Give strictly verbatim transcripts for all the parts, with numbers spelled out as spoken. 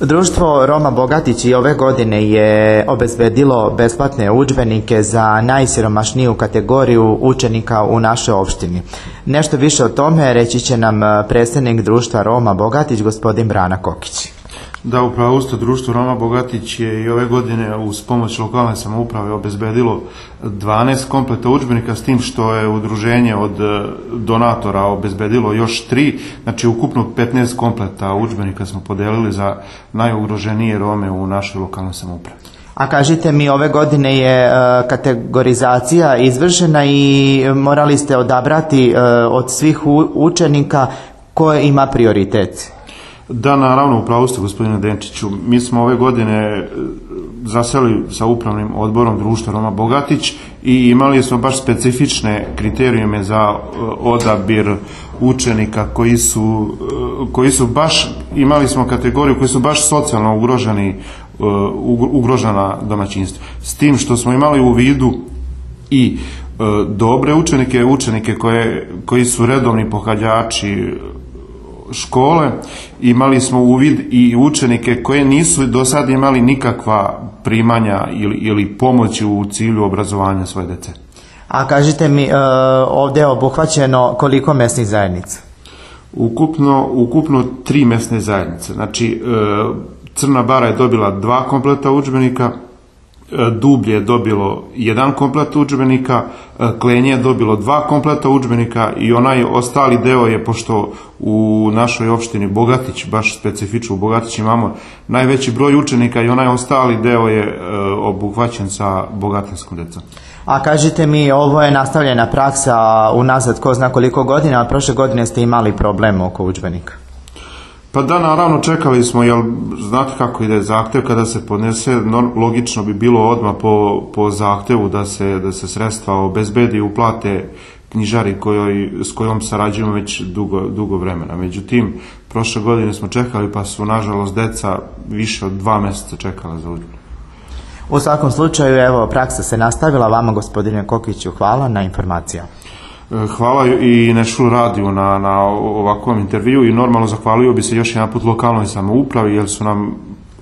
Društvo Roma Bogatić i ove godine je obezbedilo besplatne udžbenike za najsiromašniju kategoriju učenika u našoj opštini. Nešto više o tome reći će nam predstavnik Društva Roma Bogatić, gospodin Brana Kokić. Da, upravo usto Društvo Roma Bogatić je i ove godine uz pomoć lokalne samouprave obezbedilo dvanaest kompleta udžbenika, s tim što je udruženje od donatora obezbedilo još tri, znači ukupno petnaest kompleta udžbenika smo podelili za najugroženije Rome u našoj lokalnoj samoupravi. A kažite mi, ove godine je kategorizacija izvršena i morali ste odabrati od svih učenika koje ima prioritet? Da, naravno, upravo ste, gospodine Denčiću. Mi smo ove godine zaseli sa upravnim odborom Društva Roma Bogatić i imali smo baš specifične kriterijume za odabir učenika koji su, koji su baš, imali smo kategoriju koji su baš socijalno ugroženi, ugrožena domaćinstva. S tim što smo imali u vidu i dobre učenike, učenike koje, koji su redovni pohađači škole, imali smo uvid i učenike koje nisu do sad imali nikakva primanja ili, ili pomoći u cilju obrazovanja svoje dece. A kažite mi, ovdje je obuhvaćeno koliko mesnih zajednica? Ukupno, ukupno tri mesne zajednice. Znači, Crna Bara je dobila dva kompleta udžbenika, Dublje je dobilo jedan komplet udžbenika, Klenje je dobilo dva kompleta udžbenika i onaj ostali deo je, pošto u našoj opštini Bogatić, baš specifično u Bogatić imamo najveći broj učenika, i onaj ostali deo je obuhvaćen sa bogatinskom decom. A kažite mi, ovo je nastavljena praksa unazad ko zna koliko godina, a prošle godine ste imali problem oko udžbenika? Pa da, naravno, čekali smo, jer znate kako ide zahtev kada se podnese, logično bi bilo odmah po, po zahtevu da se, da se sredstva obezbedi i uplate knjižari kojoj, s kojom sarađujemo već dugo, dugo vremena. Međutim, prošle godine smo čekali, pa su nažalost deca više od dva mjeseca čekala za udžbenik. U svakom slučaju, evo, praksa se nastavila. Vama, gospodine Kokiću, hvala na informacijama. Hvala i Nešul radiju na, na ovakvom intervju i normalno zahvalio bi se još jedan put lokalnoj samoupravi, jer su nam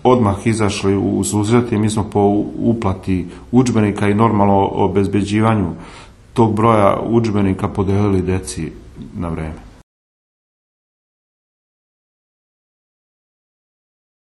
odmah izašli u susret i mi smo po uplati udžbenika i normalno obezbeđivanju tog broja udžbenika podelili deci na vreme.